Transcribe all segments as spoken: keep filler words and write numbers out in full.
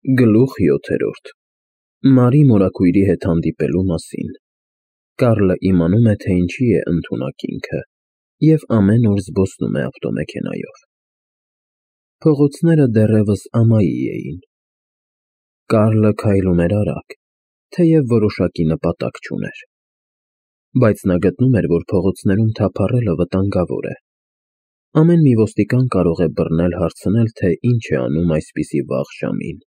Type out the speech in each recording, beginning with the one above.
Գլուխ յոթերորդ Մարի մորաքույրի հետ հանդիպելու մասին Կարլը իմանում է, թե ինչի է ընդունակ ինքը և ամեն օր զբոսնում է ավտոմեքենայով։ Փողոցները դեռևս ամայի էին։ Կարլը քայլում էր արագ, թեև որոշակի նպատակ չուներ։ Բայց նա գտնում էր, որ փողոցներում թափառելը վտանգավոր է։ Ամեն մի ոստիկան կարող է բռնել հարցնել, թե ինչ է անում այսպիսի վաղ ժամին։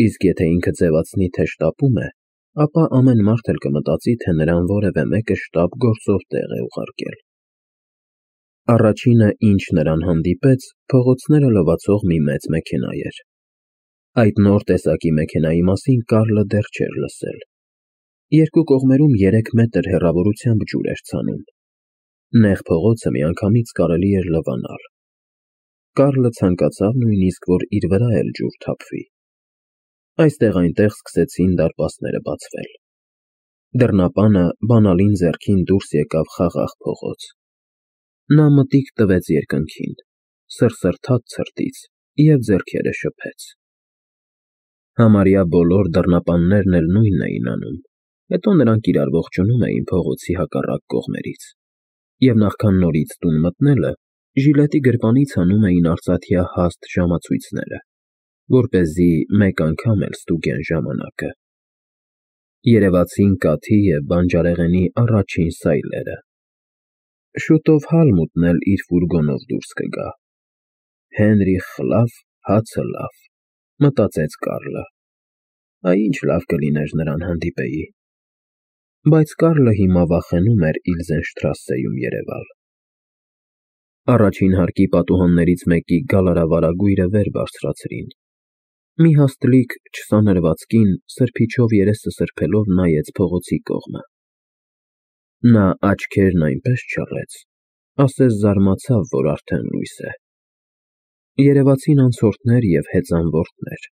Իսկ եթե ինքը ձևացնի, թե շտապում է, ապա ամեն մարդ էլ կմտածի, թե նրան որևէ մեկը շտապ գործով տեղ է ուղարկել։ Առաջինը, ինչ նրան հանդիպեց, փողոցները լվացող մի մեծ մեքենա էր։ Այդ նոր տեսակի մեքենայի մասին Կարլը դեռ չէր լսել։ Երկու կողմերում երեք մետր հեռավորությամբ ջուր էր ցանում։ Նեղ փողոցը միանգամից կարելի էր լվանալ։ Կարլը ցանկացավ նույնիսկ, որ իր վրա էլ ջուր թափվի։ Այստեղ-այնտեղ սկսեցին դարպասները բացվել։ Դռնապանը բանալին ձեռքին դուրս եկավ խաղաղ փողոց։ Նա մտիկ տվեց երկնքին, սրսրթաց ցրտից և ձեռքերը շփեց։ Համարյա բոլոր դռնապաններն էլ նույնն էին անում, հետո նրանք իրար ողջունում էին փողոցի հակառակ կողմերից, և նախքան նորից տուն մտնելը, ժիլետի գրպանից հանում էին արծաթյա հաստ ժամացույցները, որպեսզի մեկ անգամ էլ ստուգեն ժամանակը։ Երևացին կաթի և բանջարեղենի առաջին սայլերը։ Շուտով Հալմուտն էլ իր ֆուրգոնով դուրս կգա։ Հենրիխ խլավ, հացը լավ, մտածեց Կարլը։ Այ ինչ լավ կլիներ նրան հանդիպեի։ Բայց Կարլը հիմա վախենում էր Իլզենշտրասեում երևալ։ Առաջին հարկի պատուհաններից մեկի գալարավարագույրը վեր բարձրացրին։ Մի հաստլիկ չսանրված կին սրբիչով երեսը սրբելով նայեց փողոցի կողմը։ Նա աչքերն այնպես չռեց, ասես զարմացավ, որ արդեն լույս է։ Երևացին անցորդներ և հեծանվորդներ։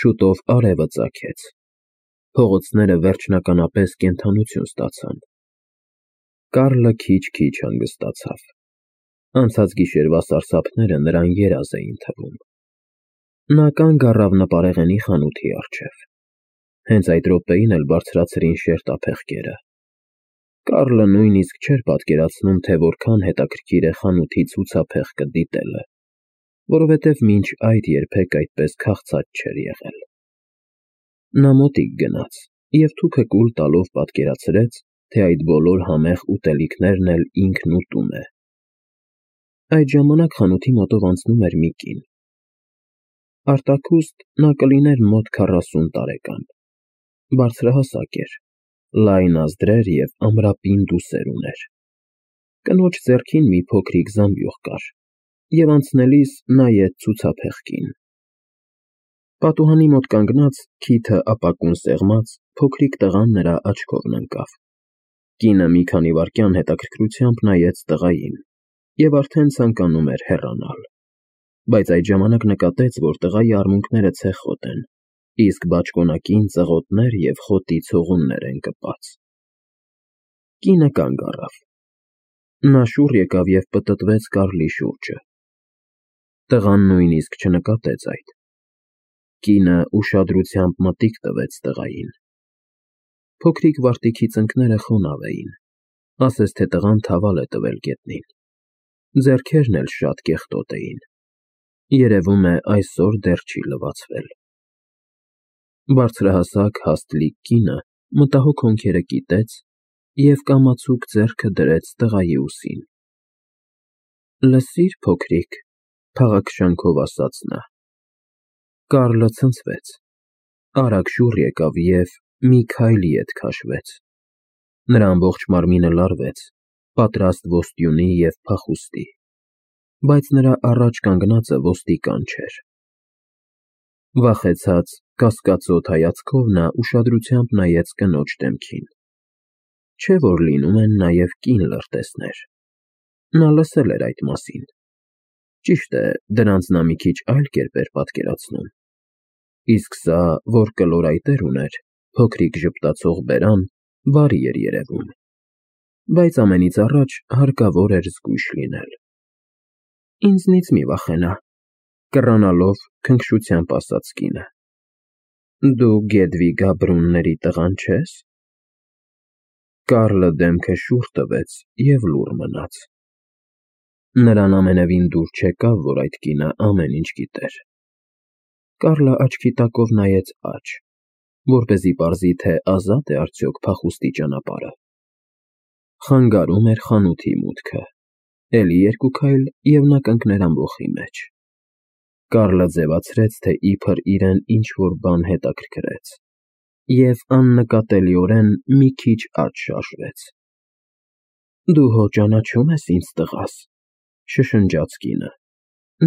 Շուտով արևը ծագեց։ Փողոցները վերջնականապես կենդանություն ստացան։ Կարլը քիչ-քիչ հանգստացավ։ Անցած գիշերվա սարսափները նրան երազ էին թվում։ Նա կանգ առավ նպարեղենի խանութի առջև։ Հենց այդ րոպեին էլ բարձրացրին շերտափեղկերը։ Կարլը նույնիսկ չէր պատկերացնում, թե որքան հետաքրքիր է խանութի ցուցափեղկը դիտելը, որովհետև մինչ այդ երբեք այդպես քաղցած չէր եղել։ Նա մոտիկ գնաց և թուքը կուլ տալով պատկերացրեց, թե այդ բոլոր համեղ ուտելիքներն էլ ինքն ուտում է։ Այդ ժամանակ խանութի մոտով անցնում էր մի կին։ Արտաքուստ նա կլիներ մոտ քառասուն տարեկան։ Բարձրահասակ էր, լայն ազդրեր և ամրապինդ ուսեր ուներ։ Կնոջ ձեռքին մի փոքրիկ զամբյուղ կար, և անցնելիս նայեց ցուցափեղկին։ Պատուհանի մոտ կանգնած, քիթը ապակուն սեղմած, փոքրիկ տղան նրա աչքովն ընկավ։ Կինը մի քանի վայրկյան հետաքրքրությամբ նայեց տղային և արդեն ցանկանում էր հեռանալ։ Բայց այդ ժամանակ նկատեց, որ տղայի արմունկները ցեխոտ են, իսկ բաճկոնակին ծղոտներ և խոտի ցողուններ են կպած։ Կինը կանգ առավ։ Նա շուռ եկավ և պտտվեց Կարլի շուրջը։ Տղան նույնիսկ չնկատեց այդ։ Կինը ուշադրությամբ մտիկ տվեց տղային։ Փոքրիկ վարտիքի ծնկները խոնավ էին, ասես թե տղան թավալ է տվել գետնին։ Ձեռքերն էլ շատ կեղտոտ էին։ Երևում է այսօր դեռ չի լվացվել։ Բարձրահասակ հաստլիկ կինը մտահոգ հոնքերը կիտեց և կամացուկ ձեռքը դրեց տղայի ուսին։ Լսի՞ր, փոքրիկ, փաղաքշանքով ասաց նա։ Կարլը ցնցվեց, արագ շուռ եկավ և մի քայլ ետ քաշվեց։ Նրա ամբողջ մարմինը լարվեց, պատրաստ ոստյունի և փախուստի, բայց նրա առաջ կանգնածը ոստիկան չէր։ Վախեցած, կասկածոտ հայացքով նա ուշադրությամբ նայեց կնոջ դեմքին։ Չէ՞ որ լինում են նաև կին լրտեսներ։ Նա լսել էր այդ մասին։ Ճիշտ է, դրանց նա մի քիչ այլ կերպ էր պատկերացնում։ Իսկ սա, որ կլորայտեր ուներ, փոքրիկ ժպտացող բերան, բարի էր երևում։ Բայց ամենից առաջ հարկավոր էր զգույշ լինել։ Ինձնից մի վախենա, Կռանալով քնքշությամբ ասաց կինը։ Դու Գեդվիգա Բրունների տղան չե՞ս։ Կարլը դեմքը շուռ տվեց և լուռ մնաց։ Նրան ամենևին դուր չեկավ, որ այդ կինը ամեն ինչ գիտեր։ Կարլը աչքի տակով նայեց աջ, որպեսզի պարզի, թե ազատ է արդյոք փախուստի ճանապարհը։ Խանգարում էր խանութի մուտքը, էլի երկու քայլ, և նա կընկներ ամբոխի մեջ։ Կարլը ձևացրեց, թե իբր իրեն ինչ-որ բան հետաքրքրեց, և աննկատելիորեն մի քիչ աջ շարժվեց։ Դու հո ճանաչում ես ինձ, տղաս, շշնջաց կինը։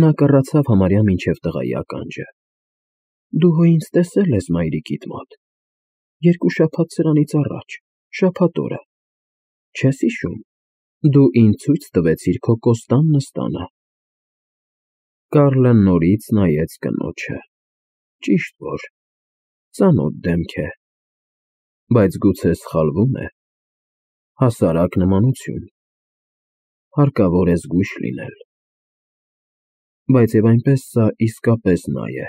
Նա կռացավ համարյա մինչև տղայի ականջը։ Դու հո ինձ տեսել ես մայրիկիդ մոտ։ Երկու շաբաթ սրանից առաջ, շաբաթ օրը։ Չես հիշում, դու ինձ ցույց տվեցիր քո կոստան նստանը։ Կարլը նորից նայեց կնոջը։ Ճիշտ որ, ծանոթ դեմք է, բայց գուցե սխալվում է։ Հասարակ նմանություն։ Հարկավոր է զգույշ լինել։ Բայց և այնպես սա իսկապես նա է։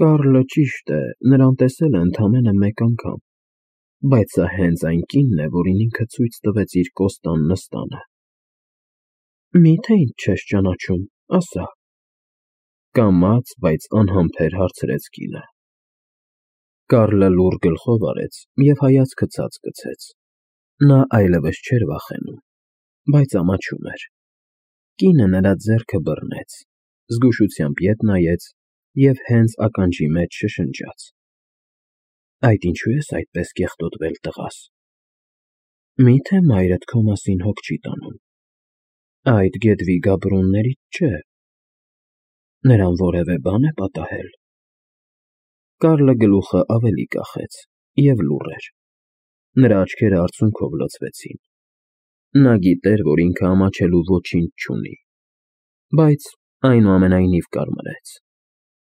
Կարլը, ճիշտ է, նրան տեսել է ընդամենը մեկ անգամ, բայց սա հենց այն կինն է, որին ինքը ցույց տվեց իր կոստան նստանը։ Մի՞թե ինձ չես ճանաչում, ասա։ Կամաց, բայց անհամբեր հարցրեց կինը։ Կարլը լուռ գլխով արեց և հայացքը ցած գցեց։ Նա այլևս չէր վախենում, բայց ամաչում էր։ Կինը նրա ձեռքը բռնեց, զգուշությամբ ետ նայեց և հենց ականջի մեջ շշնջաց. Այդ ինչու ես այդպես կեղտոտվել, տղաս։ Մի՞թե մայրդ քո մասին հոգ չի տանում։ Այդ Գեդվիգա Բրուններից չէ։ Նրան որևէ բան է պատահել։ Կարլը գլուխը ավելի կախեց և լուռ էր։ Նրա աչքերը արցունքով լցվեցին։ Նա գիտեր, որ ինքը ամաչելու ոչինչ չունի, բայց այնուամենայնիվ կարմրեց։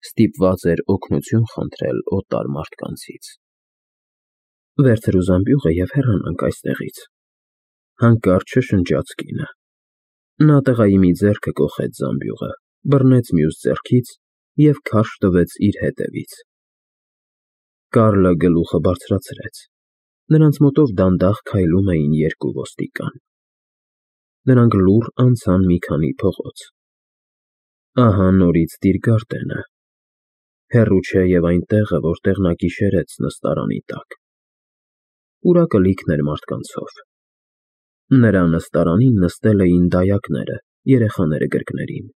Ստիպված էր օգնություն խնդրել օտար մարդկանցից։ Վերցրու զամբյուղը և հեռանանք այստեղից, հանկարծ շշնջաց կինը։ Նա տղայի մի ձեռքը կոխեց զամբյուղը, բռնեց մյուս ձեռքից և քարշ տվեց իր հետևից։ Կարլը գլուխը բարձրացրեց։ Նրանց մոտով դանդաղ քայլում էին երկու ոստիկան։ Նրանք լուռ անցան մի քանի փողոց։ Ահա նորից Տիրգարտենը։ Հեռու չէ և այն տեղը, որտեղ նա գիշերեց նստարանի տակ։ Պուրակը լիքն էր մարդկանցով։ Նրա նստարանին նստել էին դայակները, երեխաները գրկներին։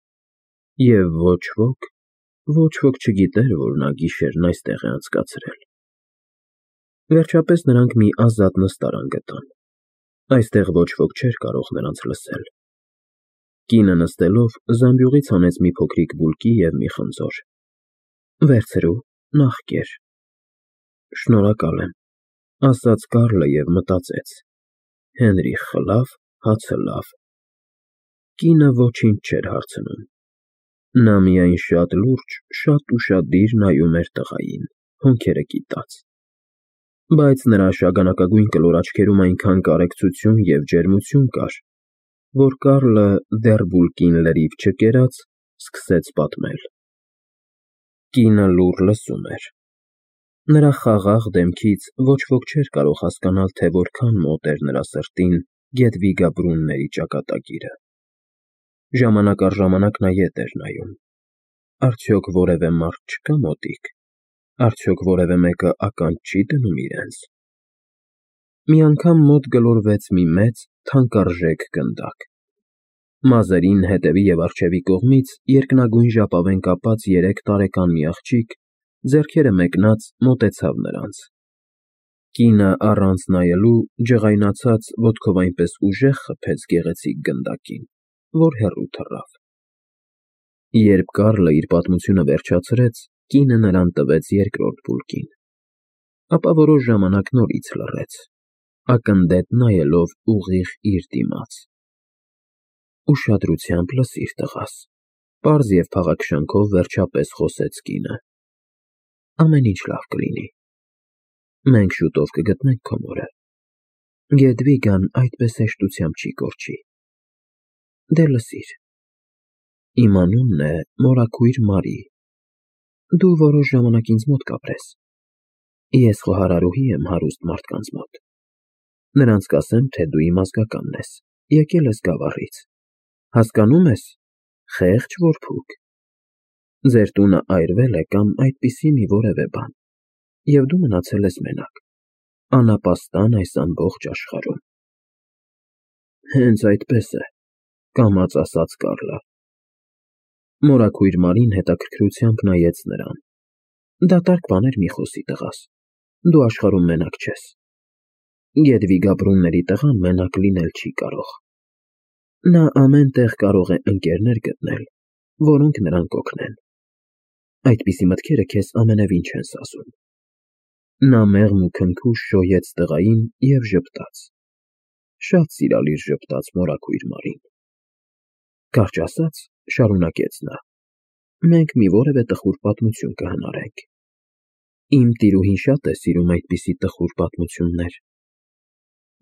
Եվ ոչ ոք, ոչ ոք չգիտեր, որ նա գիշերն այստեղ է անցկացրել։ Վերջապես նրանք մի ազատ նստարան գտան։ Այստեղ ոչ ոք չէր կարող նրանց լսել։ Կինը նստելով զամբյուղից հանեց մի փոքրիկ բուլկի և մի խնձոր։ Վերցրու, նախ կեր։ Շնորհակալ եմ, ասաց Կարլը և մտածեց. Հենրիխը լավ, հացը լավ։ Կինը ոչինչ չէր հարցնում։ Նա միայն շատ լուրջ, շատ ուշադիր նայում էր տղային, հոնքերը կիտած։ Բայց նրա շագանակագույն կլոր աչքերում այնքան կարեկցություն և ջերմություն կար, որ Կարլը, դեռ բուլկին լրիվ չկերած, սկսեց պատմել։ Կինը լուռ լսում էր։ Նրա խաղաղ դեմքից ոչ ոք չէր կարող հասկանալ, թե որքան մոտ էր նրա սրտին Գեդվիգա Բրունների ճակատագիրը։ Ժամանակ առ ժամանակ նա ետ էր նայում։ Արդյոք որևէ մարդ չկա մոտիկ։ Արդյոք որևէ մեկը ականջ չի դնում իրենց։ Մի անգամ մոտ գլորվեց մի մեծ, թանկարժեք գնդակ։ Մազերին հետևի և առջևի կողմից երկնագույն ժապավեն կապած երեք տարեկան մի աղջիկ, ձեռքերը մեկնած, մոտեցավ նրանց։ Կինը առանց նայելու ջղայնացած ոտքով այնպես ուժեղ խփեց գեղեցիկ գնդակին, որ հեռու թռավ։ Երբ Կարլը իր պատմությունը վերջացրեց, կինը նրան տվեց երկրորդ բուլկին, ապա որոշ ժամանակ նորից լռեց, ակնդետ նայելով ուղիղ իր դիմաց։ Ուշադրությամբ լսիր, տղաս, պարզ և փաղաքշանքով վերջապես խոսեց կինը։ Ամեն ինչ լավ կլինի։ Մենք շուտով կգտնենք քո մորը։ Գեդվիգան այդպես հեշտությամբ չի կորչի։ Դե լսիր։ Իմ անունն է Մորաքույր Մարի, դու որոշ ժամանակ ինձ մոտ կապրես, ես խոհարարուհի եմ հարուստ մարդկանց մոտ, նրանց կասեմ, թե դու իմ ազգականն ես, եկել ես Գավառից, հասկանում ես, խեղճ որբուք, ձեր տունը այրվել է կամ այդպիսի մի որևէ բան, և դու մնացել ես մենակ, անապաստան այս ամբողջ աշխարհում։ Հենց այդպես է, կամաց ասաց Կարլը։ Մորաքույր Մարին հետաքրքրությամբ նայեց նրան։ Դատարկ բաներ մի խոսի, տղաս, դու աշխարհում մենակ չես։ Գետվի Գաբրունների տղան մենակ լինել չի կարող։ Նա ամեն տեղ կարող է ընկերներ գտնել, որոնք նրան կօգնեն։ Այդպիսի մտքերը քեզ ամենևին չեն սազում։ Նա մեղմ ու քնքուշ շոյեց տղային և ժպտաց։ Շատ սիրալիր ժպտաց Մորաքույր Մարին։ Կարճ ասած, շարունակեց նա, մենք մի որևէ տխուր պատմություն կհնարենք։ Իմ տիրուհին շատ է սիրում այդպիսի տխուր պատմություններ։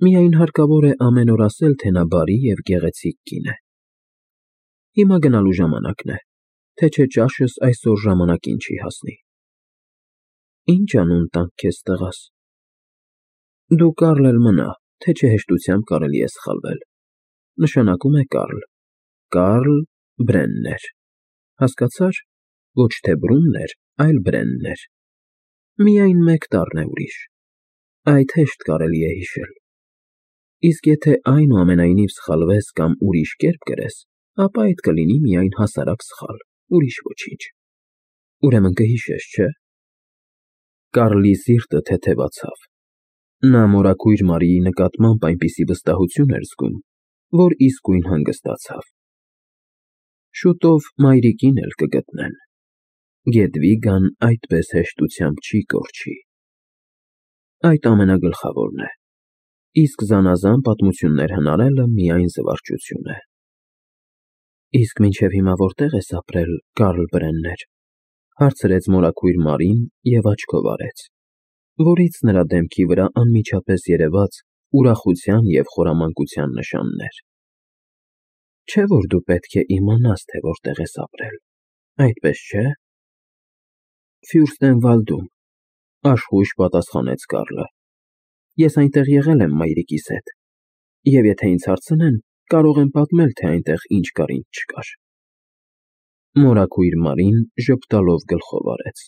Միայն հարկավոր է ամեն օր ասել, թե նա բարի և գեղեցիկ կին է։ Հիմա գնալու ժամանակն է, թե չէ ճաշս այսօր ժամանակին չի հասնի։ Ինչ անուն տանք քեզ, տղաս։ Դու Կարլ էլ մնա, թե չէ հեշտությամբ կարելի է սխալվել, նշանակում է Կարլ, Կարլ Բրեններ, հասկացա՞ր, ոչ թե Բրուններ, այլ Բրեններ, միայն մեկ տառն է ուրիշ, այդ հեշտ կարելի է հիշել, իսկ եթե այնուամենայնիվ սխալվես կամ ուրիշ կերպ կրես, ապա այդ կլինի միայն հասարակ սխալ, ուրիշ ոչինչ, ուրեմն կհիշես, չէ՞։ Կարլի սիրտը թեթևացավ, նա Մորաքույր Մարիի նկատմամբ այնպիսի վստահություն էր զգում, որ իսկույն հանգստացավ։ Շուտով մայրիկին էլ կգտնեն, Գետվիգան այդպես հեշտությամբ չի կորչի։ Այդ ամենագլխավորն է, իսկ զանազան պատմություններ հնարելը միայն զվարճություն է։ Իսկ մինչև հիմա որտե՞ղ ես ապրել, Կարլ Բրեններ, հարցրեց Մորաքույր Մարին և աչքով արեց, որից նրա դեմքի վրա անմիջապես երևաց ուրախության և խորամանկության նշաններ։ Չէ՞ որ դու պետք է իմանաս, թե որտեղ ես ապրել, այդպես չէ՞։ Ֆյուրստենվալդում, աշխույժ պատասխանեց Կարլը, ես այնտեղ եղել եմ մայրիկիս հետ, և եթե ինձ հարցնեն, կարող եմ պատմել, թե այնտեղ ինչ կար, ինչ չկար։ Մորաքույր Մարին ժպտալով գլխով արեց։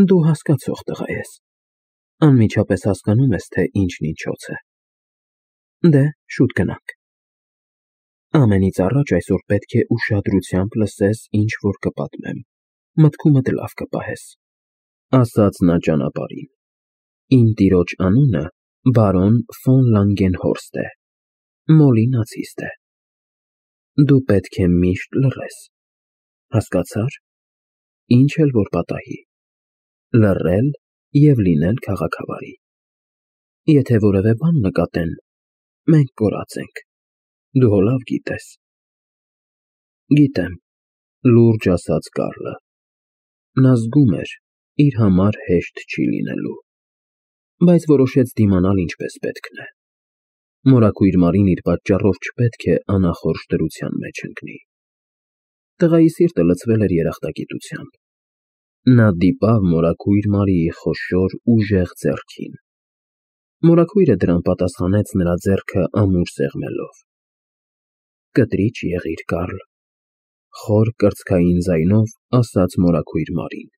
Դու հասկացող տղա ես, անմիջապես հասկանում ես, թե ինչն ինչոց է։ Դե, շուտ գնանք։ Ամենից առաջ այսօր պետք է ուշադրությամբ լսես, ինչ որ կպատմեմ, մտքումդ լավ կպահես, ասաց նա ճանապարհին։ Իմ տիրոջ անունը բարոն ֆոն Լանգենհորստ է, Մոլի նացիստ է։ Դու պետք է միշտ լռես, հասկացա՞ր, ինչ էլ որ պատահի, լռել և լինել քաղաքավարի։ Եթե որևէ բան նկատեն, մենք կորած ենք, դու հո լավ գիտես։ Գիտեմ, լուրջ ասաց Կարլը։ Նա զգում էր, իր համար հեշտ չի լինելու, բայց որոշեց դիմանալ ինչպես պետքն է։ Մորաքույր Մարին իր պատճառով չպետք է անախորժ դրության մեջ ընկնի։ Տղայի սիրտը լցվել էր երախտագիտությամբ։ Նա դիպավ Մորաքույր Մարիի խոշոր, ուժեղ ձեռքին։ Մորաքույրը դրան պատասխանեց նրա ձեռքը ամուր սեղմելով։ Կտրիճ եղիր, Կարլ, խոր կրծքային ձայնով ասաց Մորաքույր Մարին։